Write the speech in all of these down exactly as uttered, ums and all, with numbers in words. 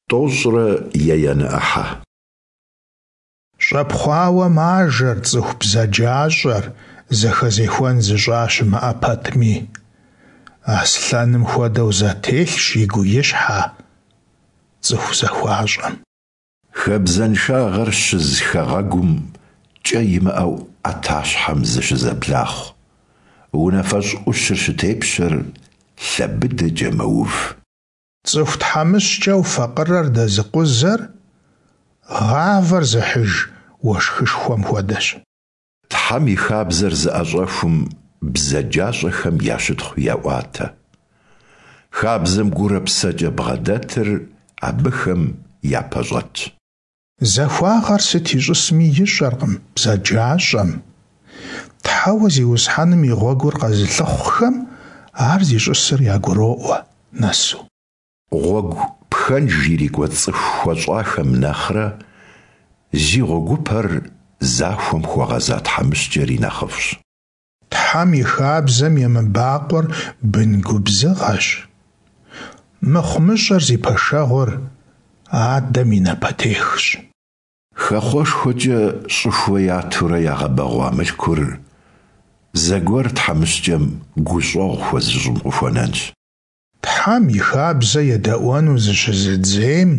Тӏощӏрэ еянэ ӏыхьэ. Щӏэпхъуауэ мажэр цӏыху бзаджащӏэр, зэхэзехуэн зыщӏа щымыӏэ пэтми. Аслъэным хуэдэу зэтелъщ игу-и щхьэ цӏыху захуащӏэм. Хабзэншагъэр щыз хэгъэгум кӏэ имыӏэу ӏэтащхьэм зыщызэблахъу, унафэщӏ ӏущыр щытепщэр лъэ быдэкӏэ мэув. Цӏыху тхьэмыщкӏэу факъырэр дэзыкъузэр гъавэр зыхьыж уэшхышхуэм хуэдэщ. Тхьэм и хабзэр зыӏэщӏэхум бзаджащӏэхэм я щытхъу еӏуатэ. Хабзэм гурэ псэкӏэ бгъэдэтыр абыхэм япэщӏэтщ. Захуагъэр сыт ищӏысми ищӏэркъым бзаджащӏэм. Тхьэуэ Зиусхьэным и гъуэгур къэзылъыхъухэм ар зищӏысыр ягуроӏуэ нэсу. Гъуэгу пхэнж ирикӏуэ цӏыху хуэщӏахэм нэхърэ зи гъуэгупэр захуэм хуэгъэза тхьэмыщкӏэри нэхъыфӏщ. Тхьэм и хабзэм емыбакъуэр бын губзыгъэщ. Мыхъумыщӏэр зи пэшэгъур адэм и напэтехщ. Хэхъуэшхуэкӏэ щӏыхуэ ятурэ ягъэбэгъуа мылъкур зэгуэр тхьэмыщкӏэм гущӏэгъу хуэзыщӏым къыхуэнэнщ. Тхьэм и хабзэ едэӏуэну зыщызыдзейм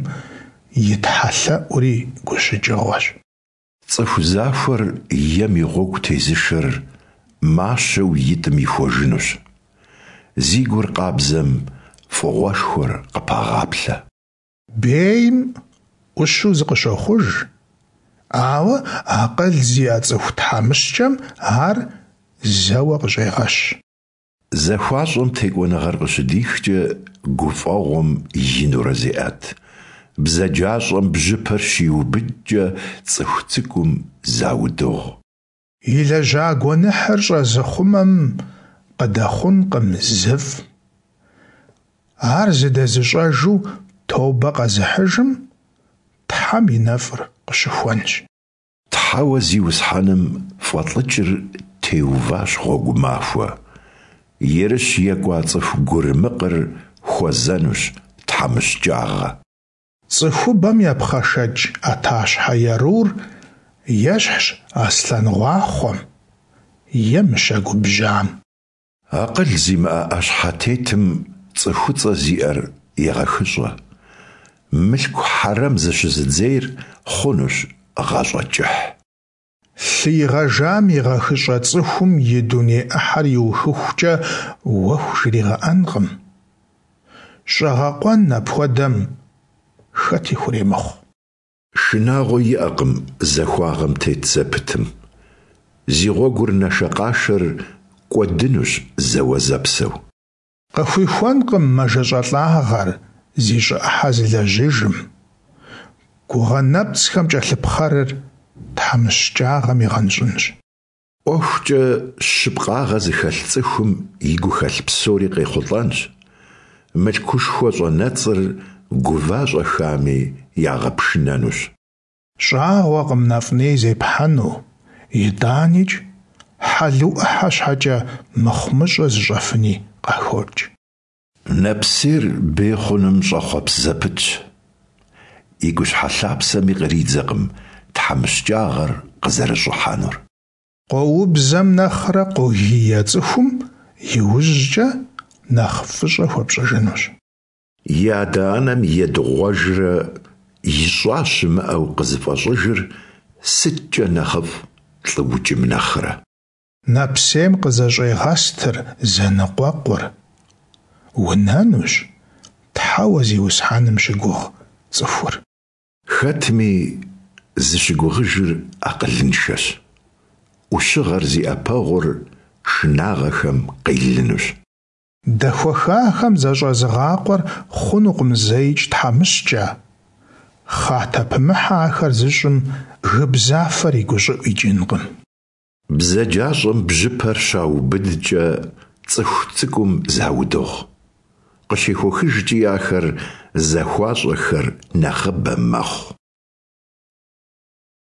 и тхьэлъэӏури гущыкӏыгъуэщ. Цӏыху захуэр ем и гъуэгу тезышэр мащэу итӏым ихуэжынущ. Зи гур къабзэм фӏыгъуэшхуэр къыпагъаплъэ. Бейм ӏущу зыкъыщохъуж, ауэ акъыл зиӏэ цӏыху тхьэмыщкӏэм ар зэуэ къыщӏегъэщ. Захуащӏэм текӏуэныгъэр къыщыдихкӏэ гуфӏэгъуэм инурэ зеӏэт, бзаджащӏэм бжьыпэр щиубыдкӏэ цӏыху цӏыкӏум заудыгъу. Илэжьа гуэныхьыр щӏэзыхъумэм къыдэхъункъым зыфӏ. Ар зыдэзыщӏэжу тобэ къэзыхьыжым Тхьэм и нэфӏыр къыщыхуэнщ. Тхьэуэ Зиусхьэным фӏэлӏыкӏыр теуващ гъуэгу махуэ. Ерыщ екӏуа цӏыху гурымыкъыр хуэзэнущ тхьэмыщкӏагъэ. Цӏыхубэм епхъэшэкӏ ӏэтащхьэ ерур ещхьщ аслъэн гъуахъуэм е мыщэ губжьам. Акъыл зимыӏэ ӏэщхьэтетым цӏыхуцӏэ зиӏэр егъэхыщӏэ. Мылъку хьэрэм зыщызыдзейр хъунущ гъащӏэ кӏыхь. Лъы игъэжам игъэхыщӏэ цӏыхум и дуней ӏыхьэр иухыхукӏэ уэху жригъэӏэнкъым. Щӏэгъэкъуэн апхуэдэм хэти хуремыхъу. Шынагъуэ иӏэкъым захуагъэм тет зэпытым. Зи гъуэгур нашэкъашэр кӏуэдынущ зэуэзэпсэу. Къыхуихуэнкъым мэжэщӏалӏагъэр зи щӏы ӏыхьэ зылэжьыжым. Гугъэ нэпцӏхэм кӏэлъыпхъэрыр тхьэмыщкӏагъэм игъэнщӏынщ. ӏуэхукӏэ щыпкъагъэ зыхэлъ цӏыхум и гухэлъ псори къехъулӏэнщ. Мылъкушхуэ щӏэнэцӏыр гува-щӏэхами ягъэпшынэнущ. Щӏагъуэкъым нэфӏ-ней зепхьэну, итӏаникӏ хьэлу ӏыхьэ щхьэкӏэ мыхъумыщӏэ зыщӏэфыни къахокӏ. Нэпсейр бей хъуным щӏэхъуэпс зэпытщ. И гущхьэ лъапсэми къридзэкъым тхьэмыщкӏагъэр къызэрыщӏыхьэнур. Къоубзэм нэхърэ къогие цӏыхум иужькӏэ нэхъ фӏыщӏэ хуэпщӏыжынущ. И адэ-анэм едыгъуэжрэ ищӏа щымыӏэу къызыфӏэщӏыжыр сыткӏэ нэхъыфӏ лӏыукӏым нэхърэ? Нэпсейм къызэщӏегъэстыр зэныкъуэкъур. Унэнущ Тхьэуэ Зиусхьэным щыгугъ цӏыхур. Хэтми, зыщыгугъыжыр акъылыншэщ. Ӏущыгъэр зи ӏэпэгъур шынагъэхэм къелынущ. Дэхуэхахэм защӏэзыгъакъуэр хъунукъым зэикӏ тхьэмыщкӏэ. Хъатэпымыхьэ ахэр зыщӏым гыбзафэр и гущӏыӏу икӏынкъым. Бзаджащӏэм бжьыпэр щаубыдкӏэ цӏыху цӏыкӏум заудыгъу. Къыщехуэхыжкӏи ахэр захуащӏэхэр нэхъыбэ мэхъу.